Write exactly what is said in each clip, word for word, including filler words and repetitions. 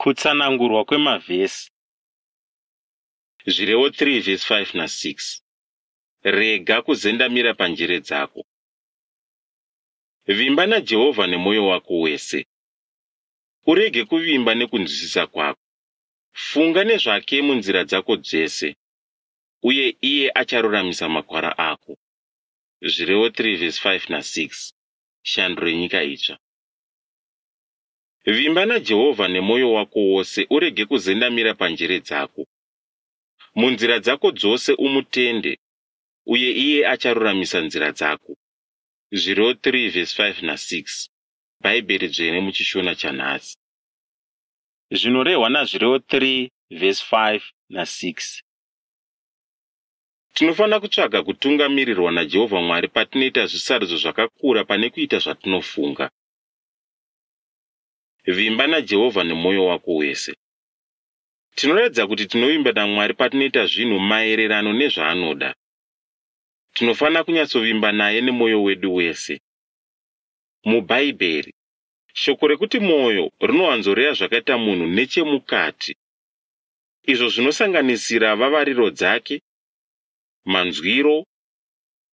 Kutsanangurwa kwemavhesi. Zvirevo three vhesi five na six. Rega kuzendamira panjere dzako. Vimba naJehovha nemwoyo wako wese. Urege kuvimba nekunzwisisa kwako. Funga nezvake munzira dzako dzese, uye iye acharuramisa makwara ako. Zvirevo three vhesi five na six. Shanduro yeNyika Itsva. Vimba naJehovha nemwoyo wako wose, urege kuzendamira panjere dzako. Munzira dzako dzose umutende, uye iye acharuramisa nzira dzako. Zvirevo three vhesi five na six. Bhaibheri Dzvene muchiShona chanhasi. Zvinorehwa naZvirevo three vhesi five na six. Tinofanira kutsvaga kutungamirirwa naJehovha Mwari patinoita zvisarudzo zvakakura pane kuita zvatinofunga. Vimba naJehovha nemwoyo wako wese. Tinoratidza kuti tinovimba naMwari patinoita zvinhu maererano nezvaanoda. Tinofanira kunyatsovimba naye nemwoyo wedu wese. MuBhaibheri, shoko rekuti mwoyo rinowanzoreva zvakaita munhu nechemukati, izvo zvinosanganisira vavariro dzake, manzwiro,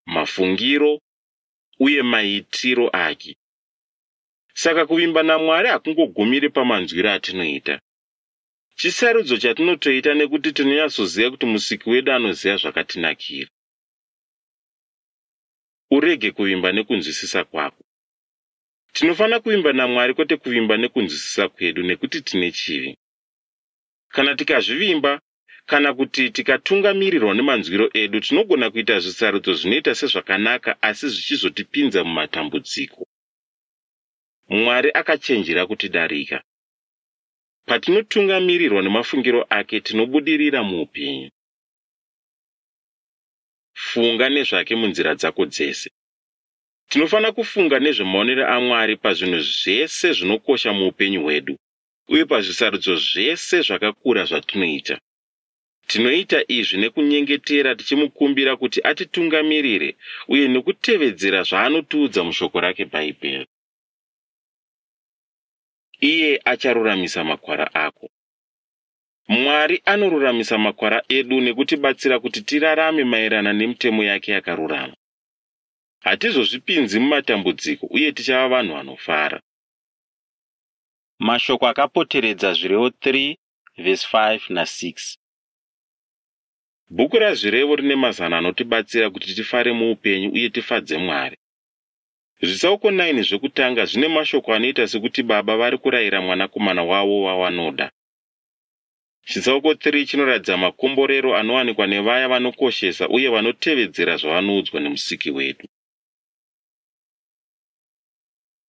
mafungiro uye maitiro ake. Saka kuvimba naMwari hakungogumiri pamanzwiro atinoita. Chisarudzo chatinotoita nekuti tinonyatsoziva kuti Musiki wedu anoziva zvakatinakira. Urege kuvimba nekunzwisisa kwako. Tinofanira kuvimba naMwari kwete kuvimba nekunzwisisa kwedu nekuti tine chivi. Kana tikazvivimba kana kuti tikatungamirirwa nemanzwiro edu, tinogona kuita zvisarudzo zvinoita sezvakanaka asi zvichizotipinza mumatambudziko. Mwari akachenjera kutidarika. Patinotungamirirwa nemafungiro ake, tinobudirira muupenyu. Funga nezvake munzira dzako dzese. Tinofanira kufunga nezvemaonero aMwari pazvinhu zvese zvinokosha muupenyu hwedu uye pazvisarudzo zvese zvakakura zvatinoita. Tinoita izvi nekunyengetera tichimukumbira kuti atitungamirire uye nekutevedzera zvaanotiudza mushoko rake Bhaibheri. Iye acharuramisa makwara ako. Mwari anoruramisa makwara edu nekutibatsira kuti tirarame maererano nemitemo yake yakarurama. Hatizozvipinzi mumatambudziko uye tichava vanhu vanofara. Mashoko akapoteredza Zvirevo three vhesi five na six. Bhuku raZvirevo rine mazano anotibatsira kuti tifare muupenyu uye tifadze Mwari. Zvitsauko nine zvekutanga zvine mashoko anoita sekuti baba vari kurayira mwanakomana wavo wavanoda. Chitsauko three chinoratidza makomborero anowanikwa nevaya vanokoshesa uye vanotevedzera zvavanoudzwa neMusiki wedu.